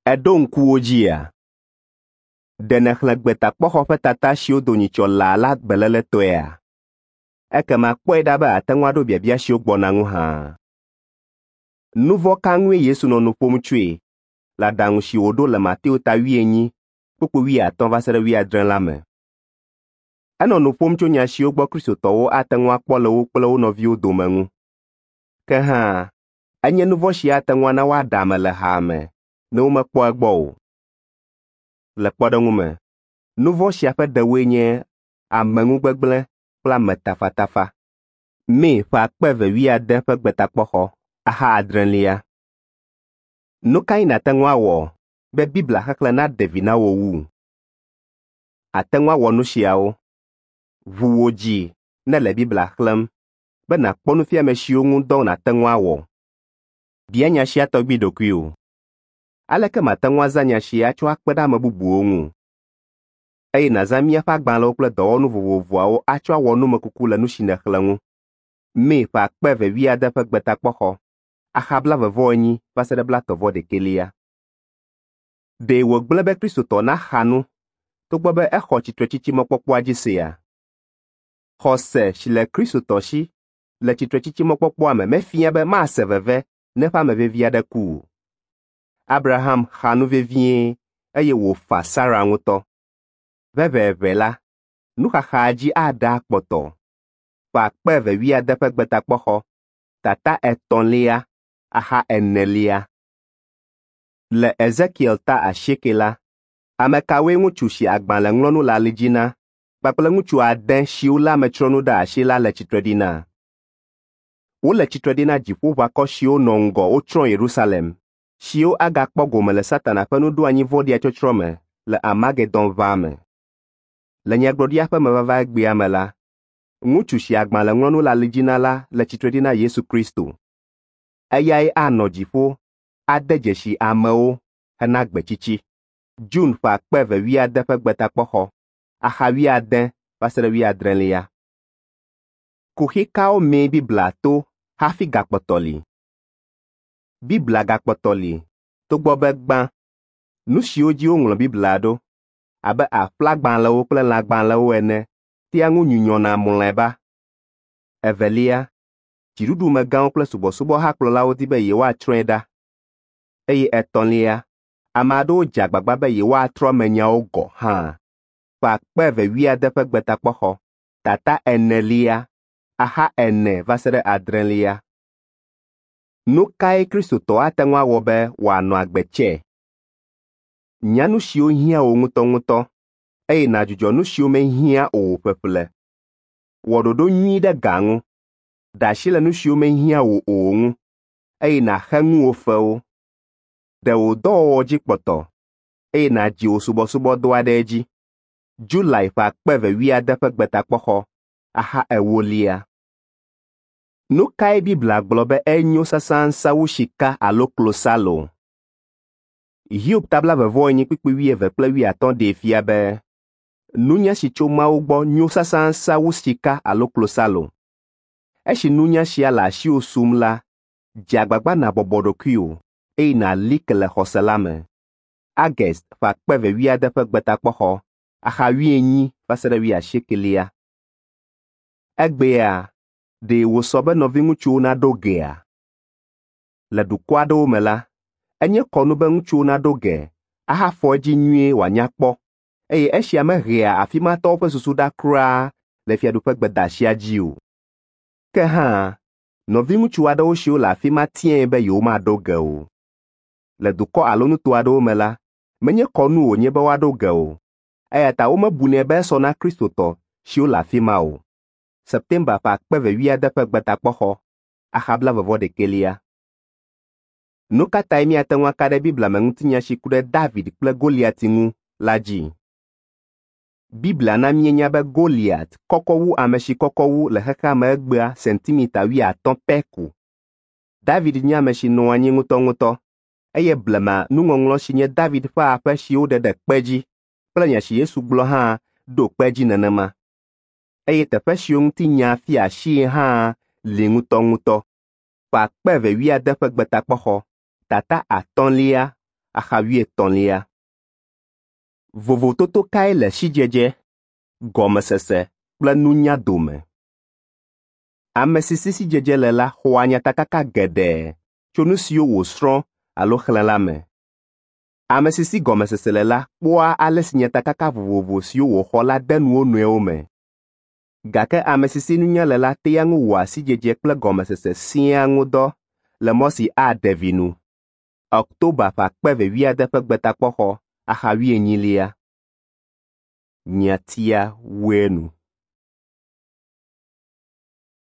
Èɖo ŋku wo dzia? Ɖe nèxlẽ Gbetakpɔxɔ ƒe tata siwo do nyitsɔ laa la beléletɔea? Ekema kpɔe ɖa be àte ŋu aɖo biabia siwo gbɔna ŋu hã. Nu vɔ̃ ka ŋue Yesu nɔ nu ƒom tsoe le aɖaŋu si wòɖo le Mateo ta 20, kpukpui 50 va se ɖe 70 la me? Enɔ nu ƒom tso nya siwo gbɔ Kristotɔwo ate ŋu akpɔ le wo kple wo nɔviwo dome ŋu. Ke hã, enye nu vɔ̃ si ate ŋu ana woaɖe ame le haa me ne womekpɔ egbɔ o. Le kpɔɖeŋu me, nu vɔ̃ sia ƒe ɖewoe nye ameŋugbegblẽ kple ametafatafa. May ƒe 2008 ƒe Gbetakpɔxɔ, axa adrelia. Nu kae nàte ŋu awɔ be Biblia xexlẽ naɖe vi na wò wu? Àte ŋu awɔ nu siawo. Ʋu wò dzi ne èle Biblia xlẽm be nàkpɔ nufiame siwo ŋu dɔ nàte ŋu awɔ. Bia nya sia tɔgbi ɖokuiwò. Aleke mate ŋu azã nya sia atsɔ akpe ɖe ame bubuwo ŋu? Eye nàzã míaƒe agbalẽwo kple dɔwɔnu vovovoawo atsɔ awɔ numekuku le nu si nèxlẽ ŋu. May ƒe 2008 ƒe Gbetakpɔxɔ, axa 40 va se ɖe 31. Ɖe wògblẽ be Kristotɔ naxa nu togbɔ be exɔ tsitretsitsi mɔkpɔkpɔa dzi sea? Xɔse si le Kristotɔ si le tsitretsitsi mɔkpɔkpɔa me mefia be mase veve ne eƒe ame vevi aɖe ku o. Abraham xa nu vevie eye wòfa Sara ŋutɔ. Ʋɛʋɛʋɛ la, nuxaxaa dzi aɖe akpɔtɔ. Ƒe 2008 ƒe Gbetakpɔxɔ, tata etɔ̃lia, axa enelia. Le Ezekiel ta 8 la, ame kawoe ŋutsu si agbalẽŋlɔnu le ali dzi na kpakple ŋutsu ade siwo lé ametsrɔ̃nu ɖe asi la le tsitre ɖi na? Wole tsitre ɖi na dziƒoʋakɔ siwo nɔ ŋgɔ wotsrɔ̃ Yerusalem, siwo agakpɔ gome le Satana ƒe nuɖoanyi vɔ̃ɖia tsɔtsrɔ̃ me le Armagedon ʋaa me. Le nyagblɔɖia ƒe mevava egbea me la, ŋutsu si agbalẽŋlɔnu le ali dzi na la le tsitre ɖi na Yesu Kristo. Eyae anɔ dziƒo ade dzesi amewo hena gbetsitsi. June ƒe 2008 ƒe Gbetakpɔxɔ, axa 80 va se ɖe 80. Kuxi kawo mee Biblia to hafi gakpɔtɔ li? Biblia gakpɔtɔ li togbɔ be gbã, nu siwo dzi woŋlɔ Biblia ɖo, abe aƒlagbalẽwo kple lãgbalẽwo ene, tea ŋu nyunyɔna mlɔeba. Evelia, dziɖuɖumegãwo kple subɔsubɔhakplɔlawo di be yewoatsrɔ̃e ɖa. Eye etɔ̃lia, ame aɖewo dze agbagba be yewoatrɔ emenyawo gɔ̃ hã. Ƒe 2008 ƒe Gbetakpɔxɔ, tata enelia, axa 4 va se ɖe 6. Nu kae Kristotɔ ate ŋu awɔ be wòanɔ agbe tsɛ? Nya nu siwo hiã wò ŋutɔŋutɔ eye nàdzudzɔ nu siwo mehiã o ƒeƒle. Wɔ ɖoɖo nyui ɖe ga ŋu. Ɖe asi le nu siwo mehiã wò o ŋu eye nàxe ŋuwò fewo. Ɖe wò dɔwɔwɔ dzi kpɔtɔ eye nàdzi wò subɔsubɔdɔa ɖe edzi. July ƒe 2008 ƒe Gbetakpɔxɔ, axa ewolia. Nu kae Biblia gblɔ be enyo sãsãsã wu sika alo klosalo? Hiob ta 44 kpukpui 20 kple 50 ɖee fia be nunya si tso Mawu gbɔ nyo sãsãsã wu sika alo klosalo. Esi nunya sia le asiwò sum la, dze agbagba nàbɔbɔ ɖokuiwò eye nàli ke le xɔse la me. August ƒe 2008 ƒe Gbetakpɔxɔ, axa 80 va se ɖe 80. Egbea, ɖe wòsɔ be nɔviŋutsuwo naɖo gea? Le dukɔ aɖewo me la, enye kɔnu be ŋutsuwo naɖo ge ahafɔ edzi nyuie wòanya kpɔ, eye esia mehea afi ma tɔwo ƒe susu ɖa kura le Fiaɖuƒe gbedeasia dzi o. Ke hã, nɔviŋutsu aɖewo siwo le afi ma tiae be yewomaɖo ge o. Le dukɔ alo nuto aɖewo me la, menye kɔnu wònye be woaɖo ge o, eya ta womebunɛ be esɔ na Kristotɔ siwo le afi ma o. September ƒe 2008 ƒe Gbetakpɔxɔ, axa 41. Nu ka tae míate ŋu aka ɖe Biblia me ŋutinya si ku ɖe David kple Goliat ŋu la dzi? Biblia na míenya be Goliat kɔkɔ wu ame si kɔkɔ wu le xexea me egbea sentimita 50 pɛ ko. David nye ame si nɔ anyi ŋutɔŋutɔ, eye blema nuŋɔŋlɔ si nye David ƒe aƒe si woɖe ɖe kpe dzi kple nya si Yesu gblɔ hã ɖo kpe edzi nenema. Eye teƒe siwo ŋuti nya fia asii hã li ŋutɔŋutɔ. Ƒe 2008 ƒe Gbetakpɔxɔ, tata atɔ̃lia, axa wuietɔ̃lia. Vovototo kae le sidzedze, gɔmesese kple nunya dome? Ame si si sidzedze le la xɔa nyatakaka geɖe tso nu siwo wòsrɔ̃ alo xlẽ la me. Ame si si gɔmesese le la kpɔa ale si nyatakaka vovovo siwo wòxɔ la de nu wo nɔewo me. Gake ame si si nunya le la tea ŋu wɔa sidzedze kple gɔmesese siaa ŋu dɔ le mɔ si aɖe vi nu. Ɔktoba ƒe akpe eve wuiade ƒe Gbetakpɔxɔ axa wuienyilia. Nyatia wue nu.